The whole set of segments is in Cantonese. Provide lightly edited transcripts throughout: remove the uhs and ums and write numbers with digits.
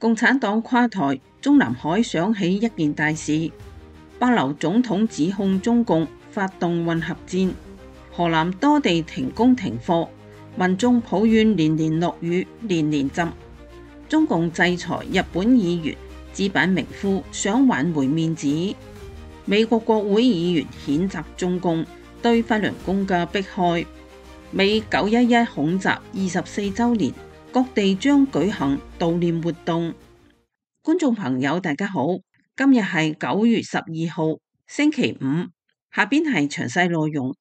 共產黨垮台，中南海響起一件大事。帛琉總統指控中共發動混合戰，河南多地停工停課，民眾抱怨連連落雨，連連浸。中共制裁日本議員，紙板名夫想挽回面子。美國國會議員譴責中共對法輪功嘅迫害。美911恐襲24週年，各地將舉行悼念活動。觀眾朋友大家好，今日係9月12號星期五，下邊係詳細內容。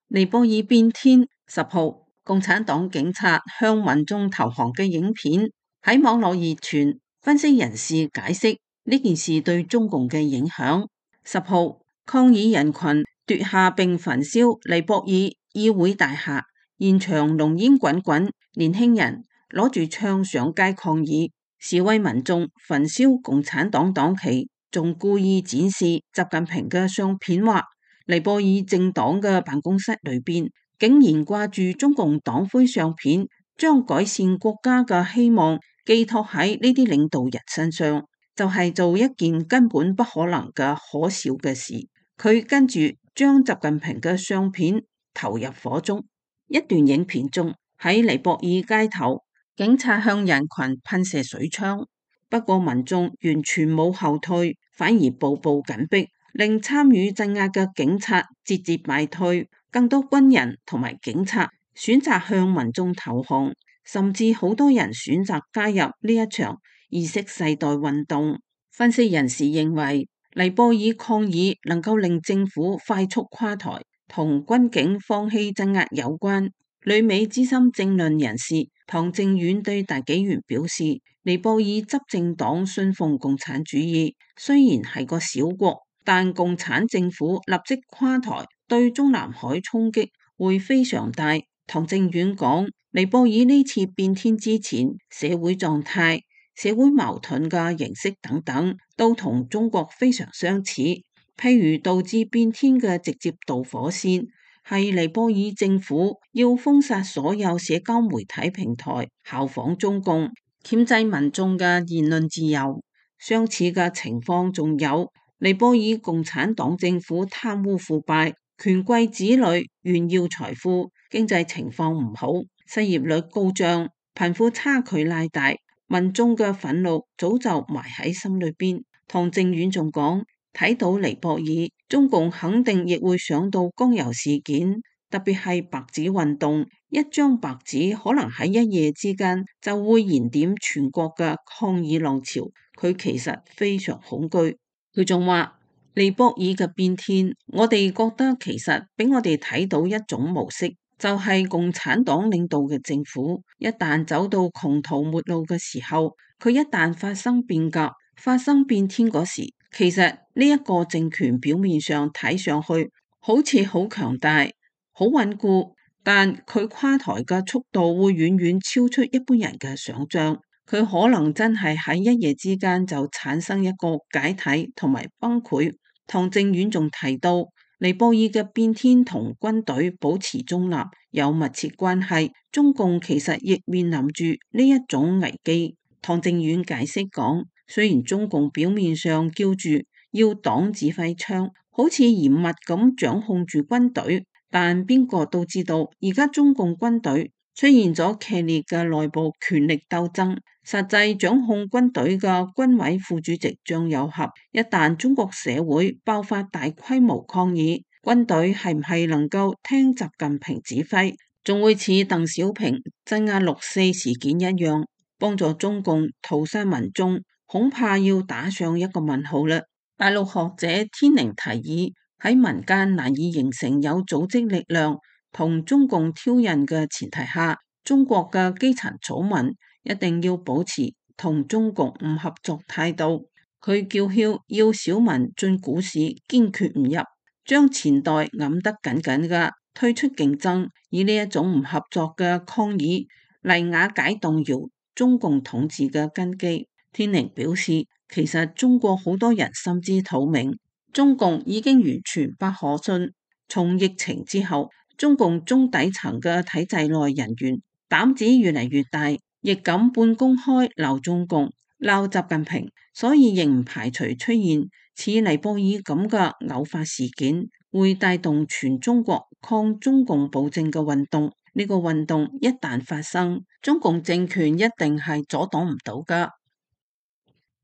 尼泊爾變天，10號共產黨警察向民眾投降嘅影片喺網絡熱傳，分析人士解釋呢件事對中共嘅影響。10號抗議人群奪下並焚燒尼泊爾議會大廈，現場濃煙滾滾，年輕人攞住槍上街抗議，示威民眾焚燒共產黨黨旗，仲故意展示習近平嘅相片，話尼泊爾政黨嘅辦公室裏邊竟然掛住中共黨徽相片，將改善國家嘅希望寄託喺呢啲領導人身上，就係做一件根本不可能嘅可笑嘅事。佢跟住將習近平嘅相片投入火中。一段影片中，喺尼泊爾街頭，警察向人群噴射水槍，不過民眾完全冇後退，反而步步緊逼，令參與鎮壓嘅警察節節敗退。更多軍人同埋警察選擇向民眾投降，甚至好多人選擇加入呢一場意識世代運動。分析人士認為，尼泊爾抗議能夠令政府快速垮台，同軍警放棄鎮壓有關。旅美資深政論人士唐正遠對大紀元表示，尼泊爾執政黨信奉共產主義，雖然係個小國，但共產政府立即垮台，對中南海衝擊會非常大。唐正遠講，尼泊爾呢次變天之前，社會狀態、社會矛盾嘅形式等等，都同中國非常相似。譬如導致變天嘅直接導火線，係尼泊爾政府要封殺所有社交媒體平台，效仿中共，鉗制民眾嘅言論自由。相似嘅情況仲有尼泊爾共產黨政府貪污腐敗，權貴子女炫耀財富，經濟情況唔好，失業率高漲，貧富差距拉大，民眾嘅憤怒早就埋喺心裏邊。唐正遠仲講，睇到尼泊爾，中共肯定亦會想到江油事件，特別係白紙運動，一張白紙可能喺一夜之間就會燃點全國嘅抗議浪潮。佢其實非常恐懼。佢仲話，尼泊爾嘅變天，我哋覺得其實俾我哋睇到一種模式，就係共產黨領導嘅政府一旦走到窮途末路嘅時候，佢一旦發生變革、發生變天嗰時，其實呢一個政權表面上睇上去好似好強大、好穩固，但佢垮台嘅速度會遠遠超出一般人嘅想象。佢可能真係喺一夜之間就產生一個解體同埋崩潰。唐正遠仲提到，尼泊爾嘅變天同軍隊保持中立有密切關係，中共其實亦面臨住呢一種危機。唐正遠解釋講，雖然中共表面上叫住要黨指揮槍，好似嚴密咁掌控住軍隊，但邊個都知道而家中共軍隊出現咗劇烈嘅內部權力鬥爭，實際掌控軍隊嘅軍委副主席張又俠，一旦中國社會爆發大規模抗議，軍隊係唔係能夠聽習近平指揮，仲會似鄧小平鎮壓6·4事件一樣，幫助中共屠殺民眾，恐怕要打上一個問號啦。大陸學者天寧提議，喺民間難以形成有組織力量同中共挑釁嘅前提下，中國嘅基層草民一定要保持同中共唔合作態度。佢叫囂要小民進股市堅決唔入，將錢袋揞得緊緊嘅，退出競爭，以呢一種唔合作嘅抗議嚟瓦解動搖中共統治嘅根基。天寧表示，其實中國好多人心知肚明，中共已經完全不可信。從疫情之後，中共中底層嘅體制內人員膽子越嚟越大，亦敢半公開鬧中共、鬧習近平，所以亦唔排除出現似尼泊爾咁嘅偶發事件，會帶動全中國抗中共暴政嘅運動。呢個運動一旦發生，中共政權一定係阻擋唔到㗎。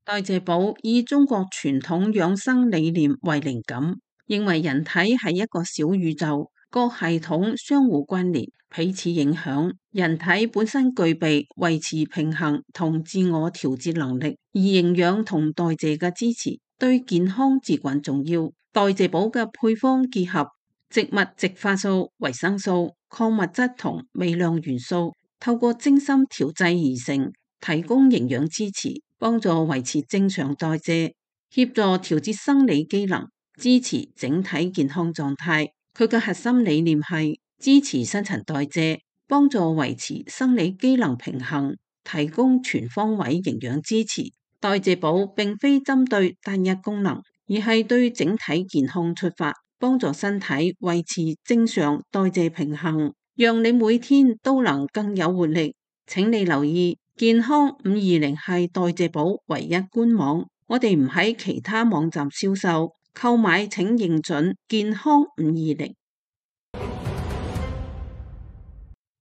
代謝寶以中國傳統養生理念為靈感，認為人體係一個小宇宙，各系統相互關聯，彼此影響。人體本身具備維持平衡同自我調節能力，而營養同代謝嘅支持對健康至關重要。代謝寶嘅配方結合植物植化素、維生素、礦物質同微量元素，透過精心調製而成，提供營養支持，幫助維持正常代謝，協助調節生理機能，支持整體健康狀態。佢嘅核心理念係支持新陳代謝，幫助維持生理機能平衡，提供全方位營養支持。代謝寶並非針對單一功能，而係對整體健康出發，幫助身體維持正常代謝平衡，讓你每天都能更有活力。請你留意，健康520係代謝寶唯一官網，我哋唔喺其他網站銷售，購買請認準健康520。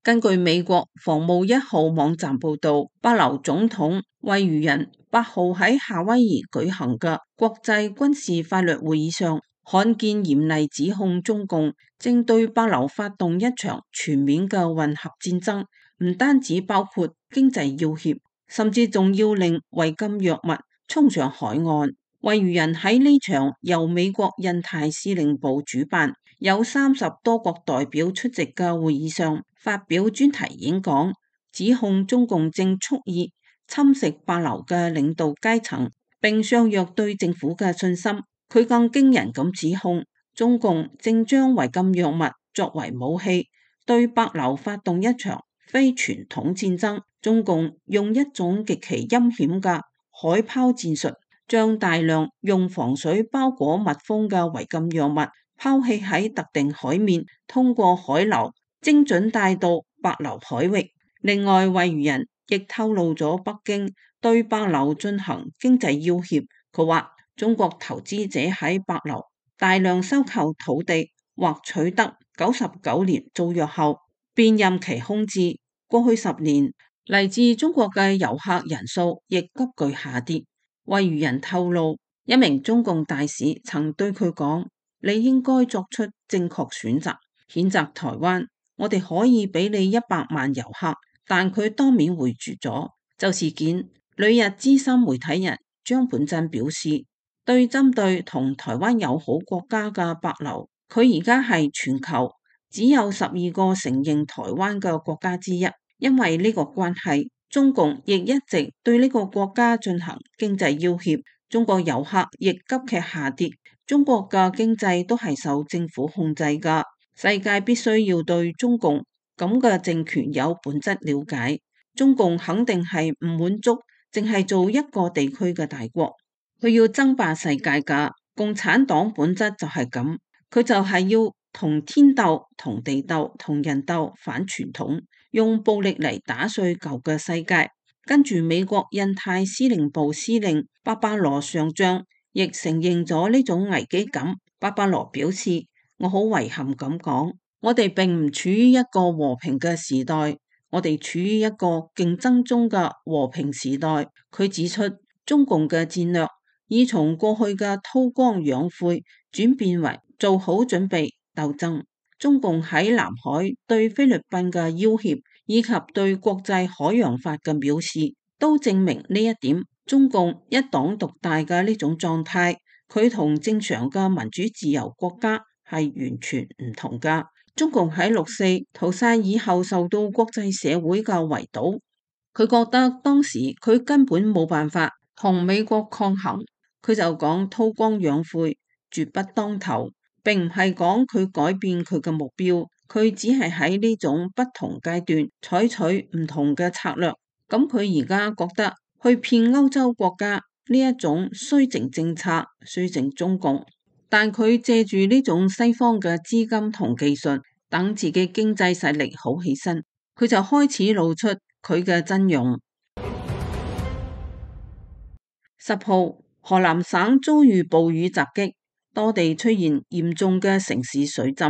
根據美國防務1號網站報道，帛琉總統惠譽仁8號喺夏威夷舉行嘅國際軍事法律會議上，罕見嚴厲指控中共正對帛琉發動一場全面嘅混合戰爭，唔單止包括經濟要挾，甚至仲要令違禁藥物衝上海岸。惠譽仁喺呢場由美國印太司令部主辦，有30多國代表出席嘅會議上發表專題演講，指控中共正蓄意侵蝕帛琉嘅領導階層，並削弱對政府嘅信心。佢更驚人咁指控中共正將違禁藥物作為武器，對帛琉發動一場非傳統戰爭。中共用一種極其陰險嘅海拋戰術，將大量用防水包裹密封嘅違禁藥物拋棄喺特定海面，通過海流精準帶到帛琉海域。另外，惠譽仁亦透露咗北京對帛琉進行經濟要挾。佢話中國投資者喺帛琉大量收購土地或取得99年租約後，便任其空置。過去10年，嚟自中國嘅遊客人數亦急劇下跌。惠譽仁透露，一名中共大使曾對佢講：你應該作出正確選擇，譴責台灣。我哋可以俾你100萬遊客，但佢當面回絕咗。就事件，旅日資深媒體人張本真表示，對針對同台灣友好國家嘅帛琉，佢而家係全球只有12個承認台灣嘅國家之一。因為呢個關係，中共亦一直對呢個國家進行經濟要挾，中國遊客亦急劇下跌。中國嘅經濟都係受政府控制㗎，世界必須要對中共咁嘅政權有本質了解。中共肯定係唔滿足，淨係做一個地區嘅大國，佢要爭霸世界㗎。共產黨本質就係咁，佢就係要同天鬥、同地鬥、同人鬥，反傳統。用暴力嚟打碎舊嘅世界。跟住美國印太司令部司令巴巴羅上將亦承認咗呢種危機感。巴巴羅表示：我好遺憾咁講，我哋並唔處於一個和平嘅時代，我哋處於一個競爭中嘅和平時代。佢指出，中共嘅戰略已從過去嘅韜光養晦轉變為做好準備鬥爭。中共喺南海對菲律賓嘅要挾，以及對國際海洋法嘅藐視，都證明呢一點。中共一黨獨大嘅呢種狀態，佢同正常嘅民主自由國家係完全唔同㗎。中共喺6.4屠殺以後受到國際社會嘅圍堵，佢覺得當時佢根本冇辦法同美國抗衡，佢就講韜光養晦，絕不當頭。並唔係講佢改變佢嘅目標，佢只係喺呢種不同階段採取唔同嘅策略。咁佢而家覺得去騙歐洲國家呢一種綏靖政策，綏靖中共，但佢借住呢種西方嘅資金同技術，等自己經濟實力好起身，佢就開始露出佢嘅陣容。10號，河南省遭遇暴雨襲擊，多地出現嚴重嘅城市水浸，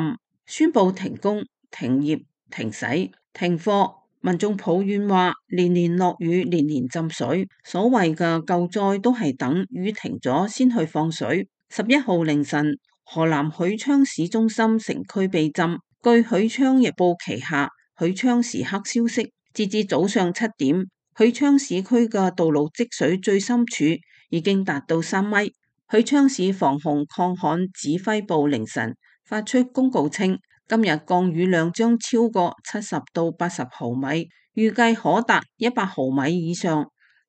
宣布停工、停業、停駛、停課。民眾抱怨話，年年落雨，年年浸水，所謂嘅救災都係等雨停咗先去放水。11號凌晨，河南許昌市中心城區被浸。據許昌日報旗下許昌時刻消息，截至早上7點，許昌市區嘅道路積水最深處已經達到3米。許昌市防洪抗旱指揮部凌晨發出公告稱，今日降雨量將超過70到80毫米，預計可達100毫米以上。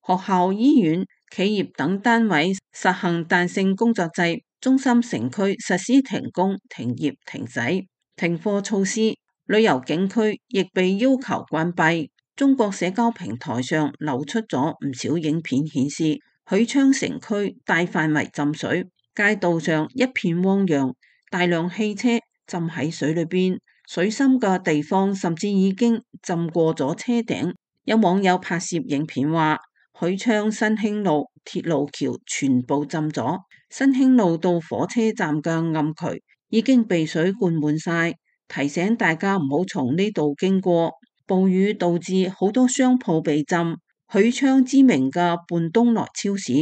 學校、醫院、企業等單位實行彈性工作制，中心城區實施停工、停業、停駛、停課措施，旅遊景區亦被要求關閉。中國社交平台上流出咗唔少影片，顯示許昌城區大範圍浸水，街道上一片汪洋，大量汽車浸喺水裏邊，水深嘅地方甚至已經浸過咗車頂。有網友拍攝影片話，許昌新興路鐵路橋全部浸咗，新興路到火車站嘅暗渠已經被水灌滿晒，提醒大家唔好從呢度經過。暴雨導致好多商鋪被浸，許昌知名嘅半冬來超市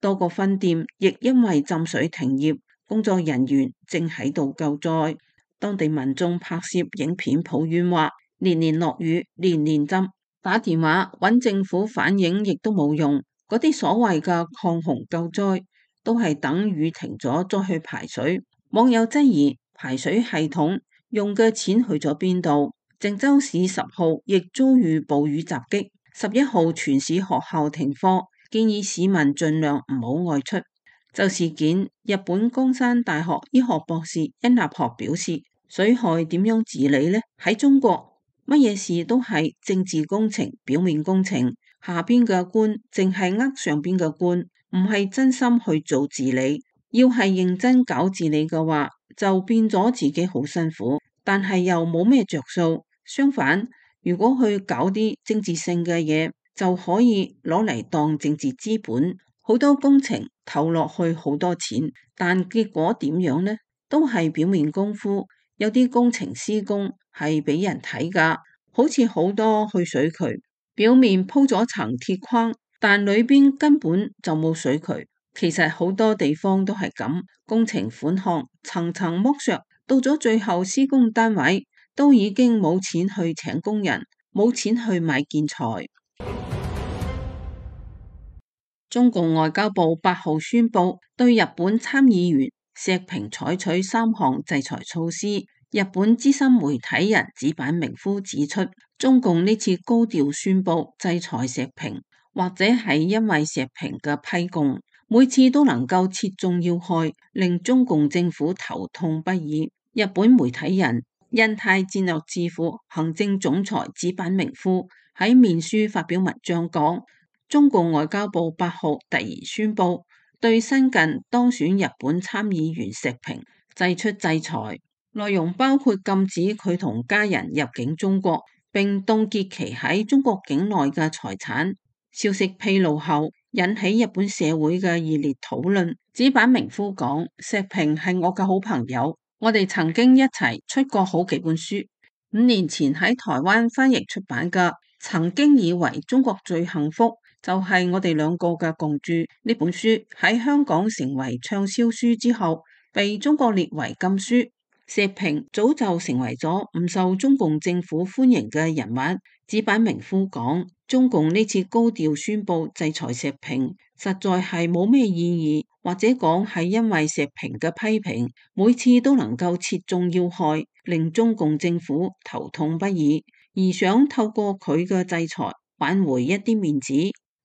多個分店亦因為浸水停業，工作人員正喺度救災。當地民眾拍攝影片抱怨話，年年落雨，年年浸，打電話揾政府反映亦都冇用，嗰啲所謂嘅抗洪救災都係等雨停咗再去排水。網友質疑排水系統用嘅錢去咗邊度？鄭州市10號亦遭遇暴雨襲擊，11號全市學校停課，建議市民盡量唔好外出。就事件，日本江山大學醫學博士殷立學表示，水害點樣治理呢？喺中國，乜嘢事都係政治工程、表面工程，下邊嘅官淨係呃上邊嘅官，唔係真心去做治理。要係認真搞治理嘅話，就變咗自己好辛苦，但係又冇咩着數。相反，如果去搞啲政治性嘅嘢，就可以攞嚟當政治資本。好多工程投落去好多錢，但結果點樣呢？都係表面功夫。有啲工程施工係俾人睇㗎，好似好多去水渠，表面鋪咗層鐵框，但裏邊根本就冇水渠。其實好多地方都係咁，工程款項層層剝削，到咗最後施工單位都已經冇錢去請工人，冇錢去買建材。中共外交部8號宣布對日本參議員石平採取3項制裁措施。日本資深媒體人矢板明夫指出，中共呢次高調宣布制裁石平，或者係因為石平嘅批供每次都能夠切中要害，令中共政府頭痛不已。日本媒體人印太戰略智庫行政總裁矢板明夫喺面書發表文章講，中共外交部8號突然宣布對新近當選日本參議員石平祭出制裁，內容包括禁止佢同家人入境中國，並凍結其喺中國境內嘅財產。消息披露後，引起日本社會嘅熱烈討論。矢板明夫講，石平係我嘅好朋友，我哋曾經一齊出過好幾本書。5年前喺台灣翻譯出版嘅《曾經以為中國最幸福就係我哋兩個嘅共著》呢本書喺香港成為暢銷書之後，被中國列為禁書。石平早就成為咗唔受中共政府歡迎嘅人物。矢板明夫講，中共呢次高調宣布制裁石平，實在係冇咩意義，或者講係因為石平嘅批評每次都能夠切中要害，令中共政府頭痛不已，而想透過佢嘅制裁挽回一啲面子。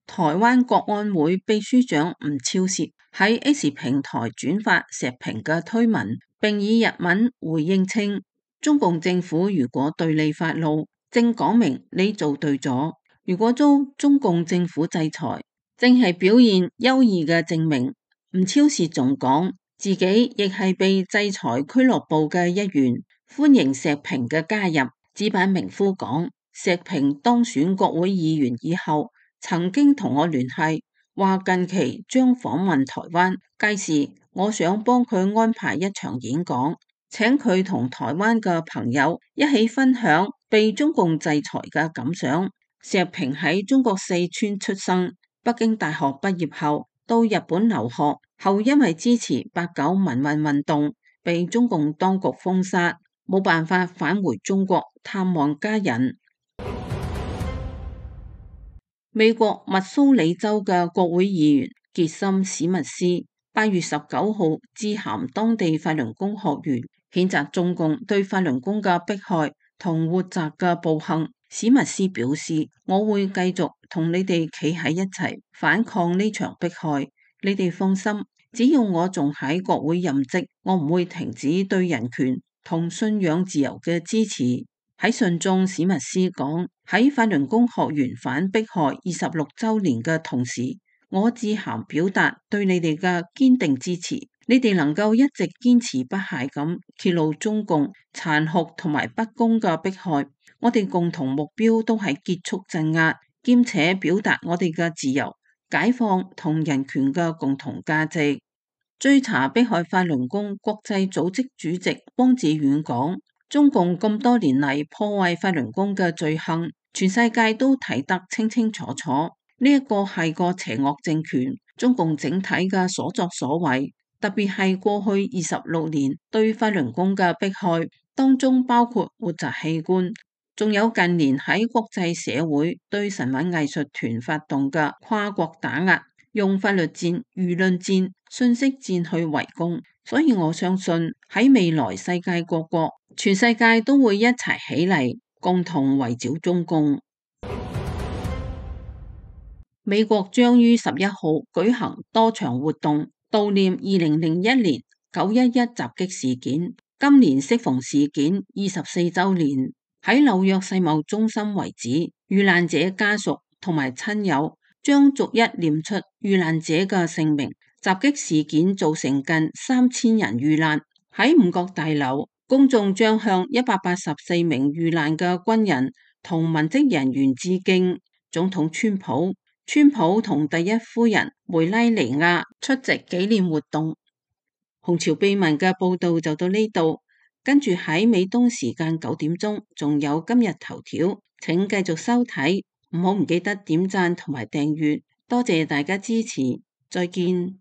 台灣國安會秘書長吳釗燮喺 X 平台轉發石平嘅推文，並以日文回應稱，中共政府如果對你發怒，正講明你做對咗；如果遭中共政府制裁，正係表現優異嘅證明。吳釗燮仲講，自己亦係被制裁俱樂部嘅一員，歡迎石平嘅加入。矢板明夫講，石平當選國會議員以後，曾經同我聯繫，話近期將訪問台灣。屆時我想幫佢安排一場演講，請佢同台灣嘅朋友一起分享被中共制裁嘅感想。石平喺中國四川出生，北京大學畢業後到日本留學，後因為支持八九民運運動，被中共當局封殺，冇辦法返回中國探望家人。美國密蘇里州嘅國會議員傑森史密斯8月19號致函當地法輪功學員，譴責中共對法輪功嘅迫害同活摘嘅暴行。史密斯表示，我會繼續同你哋企喺一齊反抗呢場迫害，你哋放心，只要我仲喺國會任職，我唔會停止對人權同信仰自由嘅支持。喺信中，史密斯講，喺法輪功學員反迫害26週年嘅同時，我致函表達對你哋嘅堅定支持。你哋能夠一直堅持不懈咁揭露中共殘酷同埋不公嘅迫害，我哋共同目標都係結束鎮壓，兼且表達我哋嘅自由、解放同人權嘅共同價值。追查迫害法輪功國際組織主席汪志遠講，中共咁多年嚟破壞法輪功嘅罪行，全世界都睇得清清楚楚。呢一個係個邪惡政權，中共整體嘅所作所為，特別係過去26年對法輪功嘅迫害，當中包括活摘器官，仲有近年喺國際社會對神韻藝術團發動嘅跨國打壓，用法律戰、輿論戰、信息戰去圍攻。所以我相信喺未來世界各國，全世界都會一齊起嚟，共同圍剿中共。美國將於11號舉行多場活動，悼念2001年911襲擊事件。今年適逢事件24週年，喺紐約世貿中心遺址，遇難者家屬同埋親友將逐一念出遇難者嘅姓名。襲擊事件造成近3000人遇難。喺五角大樓，公眾將向184名遇難嘅軍人同文職人員致敬。總統川普同第一夫人梅拉尼亞出席紀念活動。紅潮秘聞嘅報道就到呢度，跟住喺美東時間9點鐘，仲有今日頭條，請繼續收睇，唔記得點讚同埋訂閱，多謝大家支持，再見。